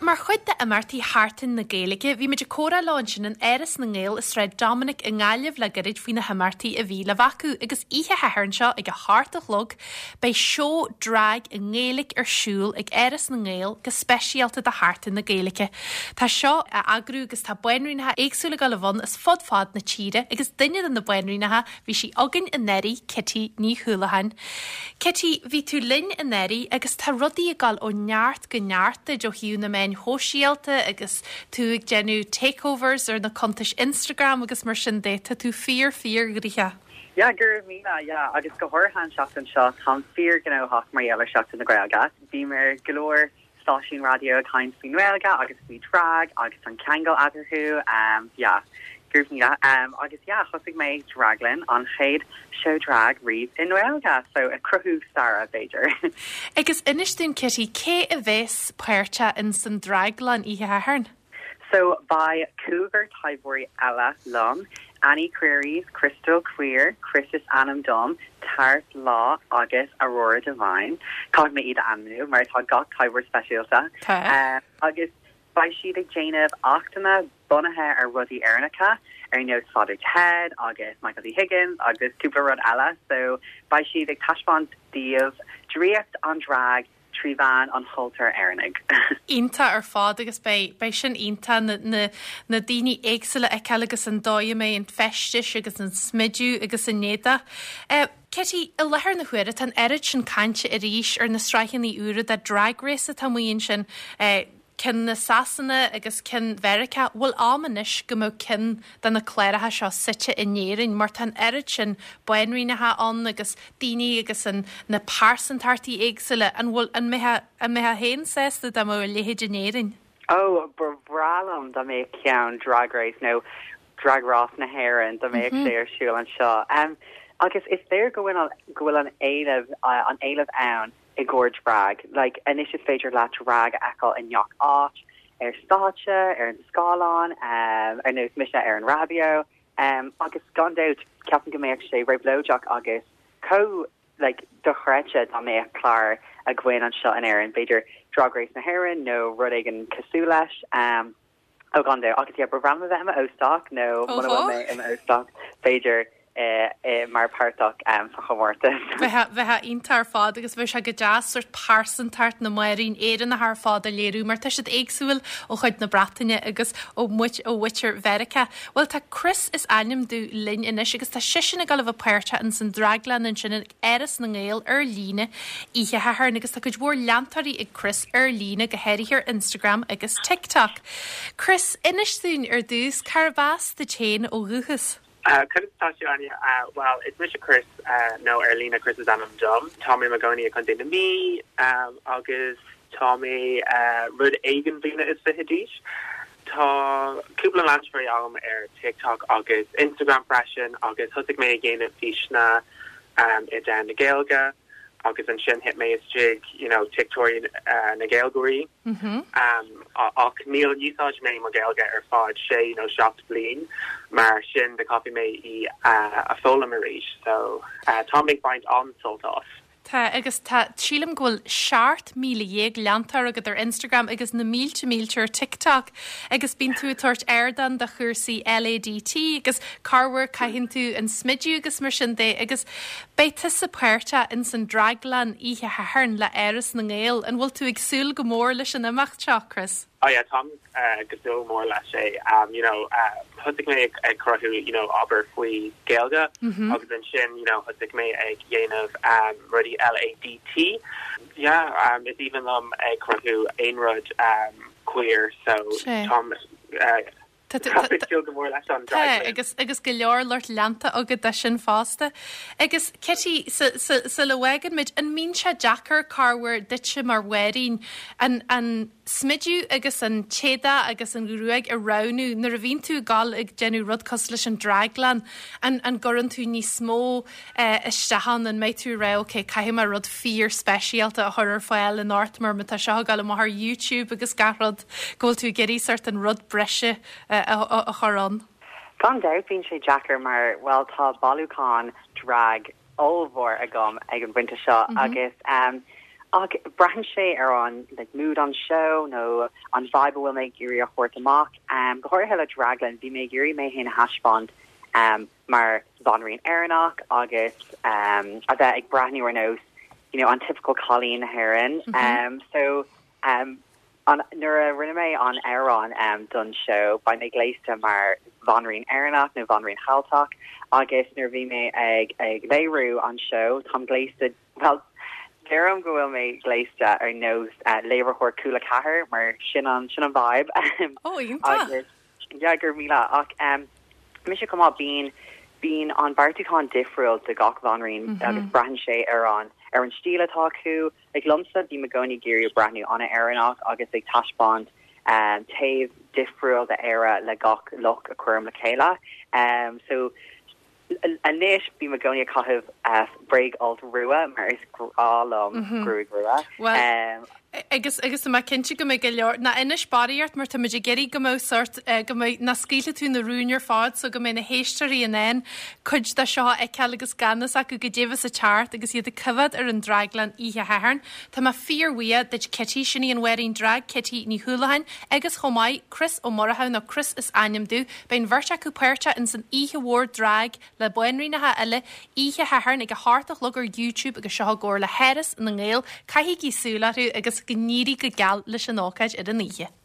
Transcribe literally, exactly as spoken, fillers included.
mar chuid d'imeachtaí Sheachtain na Gaeilge, bhí muid ag comhrá leo ansin in Áras na nGael i Sráid Dominic i nGaillimh le gairid faoi na himeachtaí a bhí le bheith acu agus oíche Shathairn seo ag a hocht a chlog, beidh seó drag i nGaeilge ar siúl ag Áras na nGael go speisialta do Sheachtain na Gaeilge. Tá seo á eagrú agus tá banríonacha éagsúla ag dul i bhun as fud fad na tíre agus duine de na banríonacha bhí sí againn anuraidh Kitty Ní Houlihan. Kitty, bhí tú linn anuraidh agus tá rudaí ag dul ó neart go neart duit ó thaobh na meáin shóisialta agus tú ag déanamh takeovers ar na cuntais Instagram agus mar sin de tá tú fíor fíorghnóthach. Yeah, go raibh míle yeah, agus go háirithe an seachtain seo táim fíorghnóthach mar gheall ar Seachtain na Gaeilge. Bhí mé go leor stáisiún raidió ag caint faoin nGaeilge agus faoi drag agus an ceangal eatarthu um, yeah. Go raibh míle um, agus yeah, thosaigh mé draglann an chéad show drag riamh i nGaeilge, so ag cruthú staire b'fhéidir. Agus inis dúinn Kitty cé a bheas páirteach in san draglann oíche Shathairn? So beidh cúigear taibheoirí eile liom, Annie Queries, Crystal Queer, Chris is ainm dom, Tart Law agus Aurora Divine. Caithfidh mé iad a ainmniú mar tá gach taibheoir speisialta. Tá. Um, agus beidh siad ag déanamh achtanna bunaithe ar rudaí Éireannacha ar nós Father Ted agus Michael D. Higgins agus cúpla rud eile, so beidh siad ag taispeáint daoibh draíocht an drag trí mheán an chultúir Éireannaigh. Iontach ar fad agus beidh beidh sin iontach na, na, na daoine éagsúla a fheiceáil agus an dóigh a mbeidh an feistis agus an smidiú agus an éadach. Uh, Kitty, i láthair na huaire tá an oiread sin cainte arís ar na sraitheanna úra de Drag Race atá amuigh ansin uh, ceann na Sasana agus ceann Mheiriceá, bhfuil am anois go mbeadh ceann de na cláracha seo suite in Éirinn, mar tá an oiread sin banríonacha ann agus daoine agus an na pearsantachtaí éagsúla an bhfuil an mbeifeá an mbeifeá féin sásta dá mbeadh a leithéid in Éirinn. Oh, ba bhreá liom dá mbeadh ceann Drag Race nó Drag Rás na hÉireann dá mbeadh sé ar siúl anseo. Um, agus is léir go bhfuil go bhfuil an éileamh uh, an éileamh ann i gcomhair drag. Like anois is féidir leat drag a fheiceáil i ngach áit, ar stáitse, ar an scáileán, um, ar nós mise ar an raidió, um, agus gan dabht ceapaim go mbeadh sé réabhlóideach agus chomh like dochreidte dá mbeadh clár againn anseo in Éirinn, b'fhéidir Drag Race na hÉireann nó rud éigin cosúil leis. Um, ó gan dabht agus ba bhreá liom bheith i m'óstach nó muna bhfuil mé i m'óstach b'fhéidir eh, eh, mar páirteach um, sa chomórtas. Bheadh bheadh iontach ar fad agus bheadh sé go deas sort pearsantacht na mbanríon Éireannach ar fad a léiriú, mar tá siad éagsúil ó chuid na Breataine agus ó muid ó mhuintir Mheiriceá. Well tá Chris is ainm di linn anois agus tá sise ag dul a bheith páirteach in san draglann ansin ag Áras na nGael ar líne oíche Shathairn agus tá cuid mhór leantóirí ag Chris ar líne go háirithe ar Instagram agus TikTok. Chris inis dúinn ar dtús cárb as duit féin ó dhúchas. Uh, Conas tá tú Áine uh, well is mise Chris uh, nó ar líne Chris is ainm dom Tá mé i mo chónaí i Contae na Mí um, agus tá mé uh, rud éigin bliana is fiche d'aois. Tá cúpla leantóirí agam ar TikTok agus Instagram freisin agus thosaigh mé ag déanamh físeanna um, i dtaobh na Gaeilge agus ansin thit mé isteach you know, TikTok uh, na Gaeilgeoirí. Mm -hmm. um, ach níor úsáid mé mo Ghaeilge ar feadh sé nó seacht bliain mar sin de caithfidh mé í uh, a fhoghlaim arís so uh, tá ag baint an-sult as. Tá agus tá sílim go bhfuil seacht míle dhéag leantóir agat ar Instagram agus na mílte mílte ar TikTok agus bíonn tú ag tabhairt ardán do chúrsaí LADT agus corruair caitheann tú an smidiú agus mar sin de agus beidh tusa páirteach in san draglann oíche Shathairn le Áras na nGael an bhfuil tú ag súil go mór leis an imeacht seo, Chris. Oh yeah, táim uh, ag súil mór leis é um, you know, uh, thosaigh mé ag, ag cruthú you know, obair faoi Gaeilge Mm -hmm. agus ansin you know, thosaigh mé ag dhéanamh um, rudaí LADT. Yeah, um, is aoibhinn liom ag cruthú aon rud um, queer so Sé. Táim uh, Tá- tá- ag súil go mór leis an Tá draglann. agus agus go leor lucht leanta agat de sin fosta. Agus Kitty sa le bhfagann muid an mbíonn sé deacair corruair duitse mar bhanríon an, an smidiú agus an t-éadach agus an ghruaig a roghnú nuair a bhíonn tú ag dul ag déanamh rud cosúil leis an draglann an, an gcuireann tú níos mó eh, isteach ann an mbeidh tú rá okay, caithfidh mé rud fíor speisialta a chur ar fáil in ort mar tá seo ag dul amach ar YouTube agus gach rud go bhfuil tú ag iarraidh sort an rud breise eh, a, a, a chur ann. Gan dabht bíonn sé deacair mar well tá bailiúchán drag ollmhór agam ag an bpointe seo mm -hmm. agus um, Ach braitheann sé ar an like, mood an show nó an vibe bhfuil mé ag iarraidh a thabhairt amach. Um, go háirithe le Draglann bhí mé ag iarraidh mé féin a thaispeáint um, mar bhanríon Éireannach agus um, a bheith ag breathnú ar nós you know, an typical cailín na hÉireann. Mm -hmm. um, so um, an nuair a rinne mé an amhrán um, don show bhí mé gléasta mar bhanríon Éireannach nó bhanríon Cheilteach agus nuair bhí mé ag ag léiriú an show táim gléasta well deirim go bhfuil mé gléasta ar nós uh, léiritheoir Cúla Ceathair mar sin an sin an vibe oh, agus yeah, gur míle ach um, mise go bíonn bíonn an beartúchán difriúil do gach bhanríon mm -hmm. agus braitheann sé ar an ar an stíl atá acu ag liomsa bím i gcónaí ag iarraidh breathnú an-Éireannach agus ag taispeáint um, taobh difriúil d'Éire le gach look a chuirim le chéile. Um, so anois bím i gcónaí ag caitheamh uh, bréag-fholt rua mar is grá liom mm -hmm. gruaig rua. Well, um, agus agus má cinnte go mbeidh go leor na inis barraíocht mar tá muid ag iarraidh go mbeadh sort eh, go mbeidh na scaoileann tú na rúin ar fad so go mbeidh na héisteoirí in ann cuid de seo a fheiceáil agus gan fhios acu goidé sa teart agus iad ag coimhéad ar an Draglann oíche Shathairn. Tá mé fíorbhuíoch duit Kitty sin í an bhanríon drag Kitty Ní Houlihan agus chomh maith Chris Ó Murchú nó Chris is ainm domh, beidh an bheirt acu páirteach in san oíche mhór drag le banríonacha eile oíche Shathairn ag a hocht a chlog ar YouTube agus seo i gcomhar le hÁras na nGael caithigí súil orthu agus go n-éirí go geal leis an ócáid ar an oíche.